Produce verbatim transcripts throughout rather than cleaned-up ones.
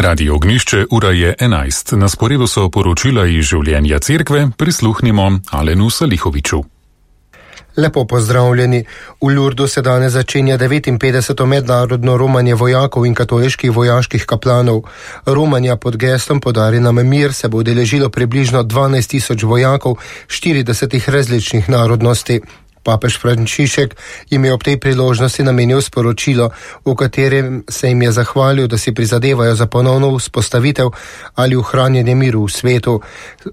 Radio Ognišče, ura je enajst. Na sporedu so poročila iz življenja cerkve, prisluhnimo Alenu Salihoviču. Lepo pozdravljeni. V Lurdu se danes začenja devetinpetdeseto mednarodno romanje vojakov in katoliških vojaških kaplanov. Romanja pod geslom Podari nam mir se bo udeležilo približno dvanajst tisoč vojakov štiridesetih različnih narodnosti. Papež Frančišek jim je ob tej priložnosti namenil sporočilo, v katerem se jim je zahvalil, da si prizadevajo za ponovno vzpostavitev ali ohranjanje miru v svetu.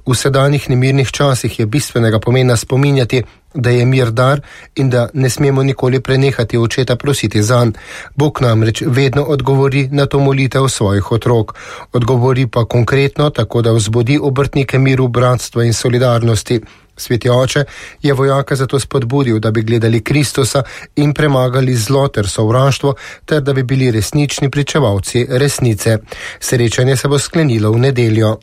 V sedanjih nemirnih časih je bistvenega pomena spominjati, da je mir dar in da ne smemo nikoli prenehati očeta prositi zanj. Bog namreč vedno odgovori na to molitev svojih otrok. Odgovori pa konkretno, tako da vzbudi obrtnike miru, bratstva in solidarnosti. Sveti oče je vojaka zato spodbudil, da bi gledali Kristusa in premagali zlo ter sovraštvo, ter da bi bili resnični pričevalci resnice. Srečanje se bo sklenilo v nedeljo.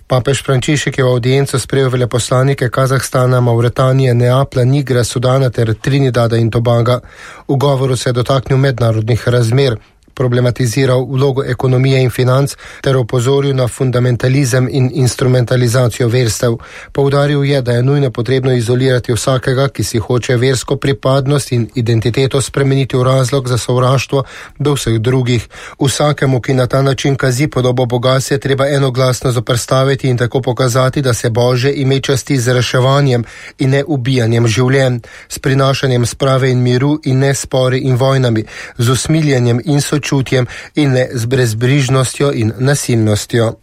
Papež Frančišek je v audienco sprejel veleposlanike Kazahstana, Mauretanije, Neaplja, Nigra, Sudana ter Trinidada in Tobaga. V govoru se je dotaknil mednarodnih razmer, problematiziral vlogo ekonomije in financ ter opozoril na fundamentalizem in instrumentalizacijo verstev. Poudaril je, da je nujno potrebno izolirati vsakega, ki si hoče versko pripadnost in identiteto spremeniti v razlog za sovraštvo do vseh drugih. Vsakemu, ki na ta način kazi podobo Boga, se je treba enoglasno zoperstaviti in tako pokazati, da se Božje ime časti z reševanjem in ne ubijanjem življenj, s prinašanjem sprave in miru in ne spori in vojnami, z usmiljenjem in sočutjem čutjem in ne z brezbrižnostjo in nasilnostjo.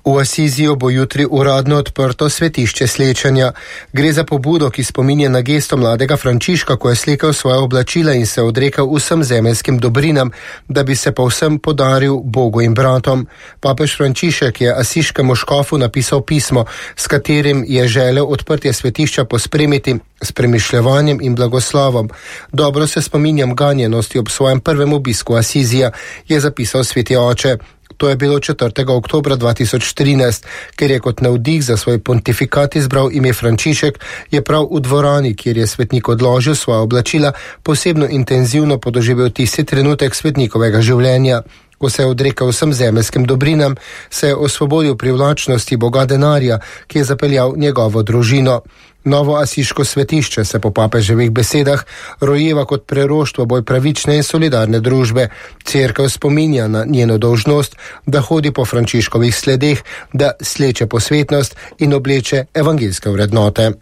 V Asiziju bo jutri uradno odprto svetišče slečenja. Gre za pobudo, ki spominja na gesto mladega Frančiška, ko je slekel svoje oblačila in se odrekel vsem zemeljskim dobrinam, da bi se povsem podaril Bogu in bratom. Papež Frančišek je asiškemu škofu napisal pismo, s katerim je želel odprtje svetišča pospremiti s premišljevanjem in blagoslovom. Dobro se spominjam ganjenosti ob svojem prvem obisku Asizija, je zapisal sveti oče. To je bilo četrtega oktobra dva tisoč trinajst, ker je kot navdih za svoj pontifikat izbral ime Frančišek, je prav v dvorani, kjer je svetnik odložil svoja oblačila, posebno intenzivno podoživel tisti trenutek svetnikovega življenja. Ko se je odrekel vsem zemeljskim dobrinam, se je osvobodil privlačnosti Boga denarja, ki je zapeljal njegovo družino. Novo asiško svetišče se po papeževih besedah rojeva kot preroštvo bolj pravične in solidarne družbe. Cerkev spominja na njeno dolžnost, da hodi po Frančiškovih sledeh, da sleče posvetnost in obleče evangeljske vrednote.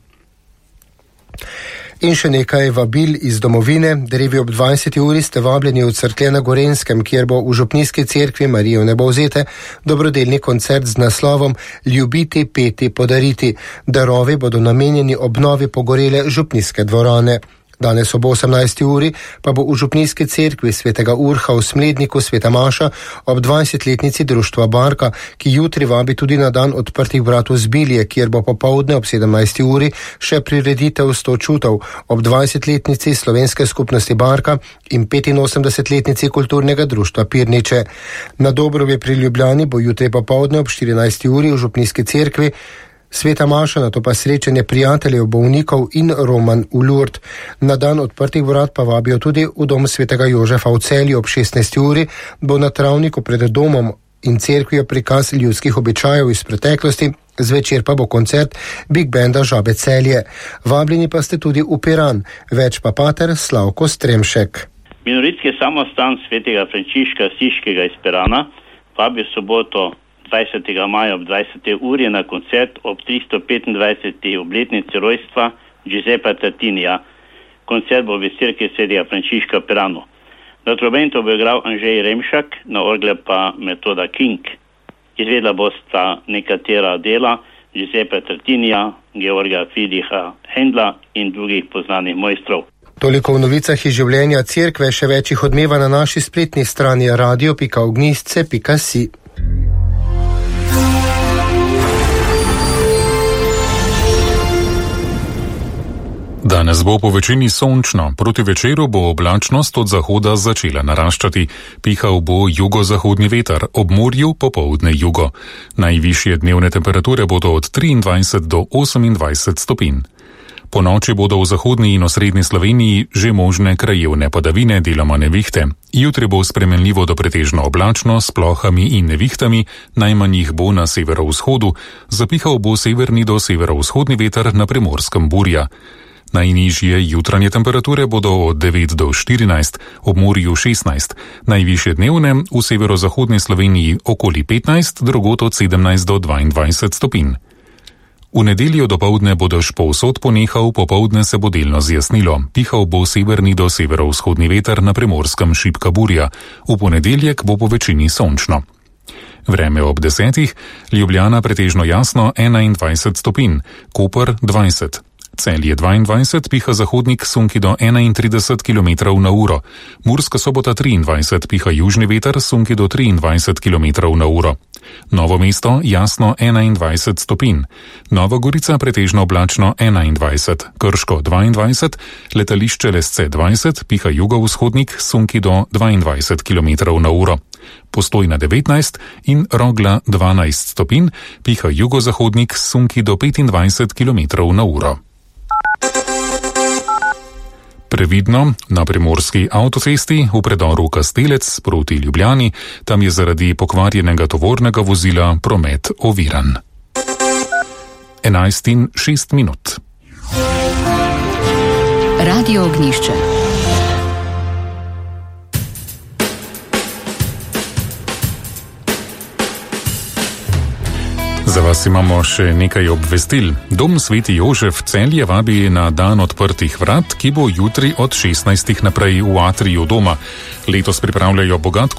In še nekaj vabil iz domovine. Drevi ob dvajseti uri ste vabljeni v Cerklje na Gorenskem, kjer bo v župnijski cerkvi Marijo Nebovzete dobrodelni koncert z naslovom Ljubiti, peti, podariti. Darovi bodo namenjeni obnovi pogorele župnijske dvorane. Danes ob osemnajsti uri pa bo v župnijski cerkvi svetega Urha v Smledniku sveta maša ob dvajsetletnici društva Barka, ki jutri vabi tudi na dan odprtih vrat v Zbilje, kjer bo popoldne ob sedemnajsti uri še prireditev sto čutov ob dvajsetletnici slovenske skupnosti Barka in petinosemdesetletnici kulturnega društva Pirniče. Na Dobrovi pri Ljubljani bo jutri popoldne ob štirinajsti uri v župnijski cerkvi sveta maša, nato pa srečanje prijateljev, bolnikov in roman v Lurd. Na dan odprtih vrat pa vabijo tudi v dom svetega Jožefa v Celju ob šestnajsti uri, bo na travniku pred domom in cerkvijo prikaz ljudskih običajev iz preteklosti, zvečer pa bo koncert Big Banda Žabe Celje. Vabljeni pa ste tudi v Piran, več pa pater Slavko Stremšek. Minoritski samostan svetega Frančiška Asiškega iz Pirana vabi v soboto dvajsetega maja ob dvajseti uri na koncert ob tristo petindvajseti obletnici rojstva Giuseppa Tartinija. Koncert bo v cerkvi svetega Frančiška v Piranu. Na trobento bo igral Anžej Remšak, na orgle pa Metoda King. Izvedla bosta nekatera dela Giuseppa Tartinija, Georga Friedricha Händla in drugih poznanih mojstrov. Toliko v novicah iz življenja cerkve, še več jih odmeva na naši spletni strani radio pika ognjišče pika si. Danes bo po večini sončno, proti večeru bo oblačnost od zahoda začela naraščati. Pihal bo jugozahodni veter, ob morju popoldne jugo. Najvišje dnevne temperature bodo od triindvajset do osemindvajset stopinj. Po noči bodo v zahodni in osrednji Sloveniji že možne krajevne padavine, deloma nevihte. Jutri bo spremenljivo do pretežno oblačno s plohami in nevihtami, najmanj jih bo na severovzhodu, zapihal bo severni do severovzhodni veter, na Primorskem burja. Najnižje jutranje temperature bodo od devet do štirinajst, ob morju šestnajst, najvišje dnevne v severozahodni Sloveniji okoli petnajst, drugod od sedemnajst do dvaindvajset stopinj. V nedeljo dopoldne bo dež povsod ponehal, popoldne se bo delno zjasnilo. Pihal bo severni do severovzhodni veter, na Primorskem šibka burja. V ponedeljek bo po večini sončno. Vreme ob desetih, Ljubljana pretežno jasno enaindvajset stopinj, Koper dvajset. Celje dvaindvajset, piha zahodnik sunki do enaintrideset kilometrov na uro. Murska Sobota triindvajset, piha južni veter sunki do triindvajset kilometrov na uro. Novo mesto jasno enaindvajset stopinj. Nova Gorica pretežno oblačno enaindvajset, Krško dvaindvajset, letališče Lesce dvajset, piha jugovzhodnik sunki do dvaindvajset kilometrov na uro. Postojna devetnajst in Rogla dvanajst stopinj, piha jugozahodnik sunki do petindvajset kilometrov na uro. Previdno, na primorski avtocesti v predoru Kastelec proti Ljubljani, tam je zaradi pokvarjenega tovornega vozila promet oviran. enajst in šest minut. Radio Ognjišče. Za vas imamo še nekaj obvestil. Dom Sveti Jožef Celje vabi na dan odprtih vrat, ki bo jutri od šestnajstih naprej v atriju doma. Letos pripravljajo bogat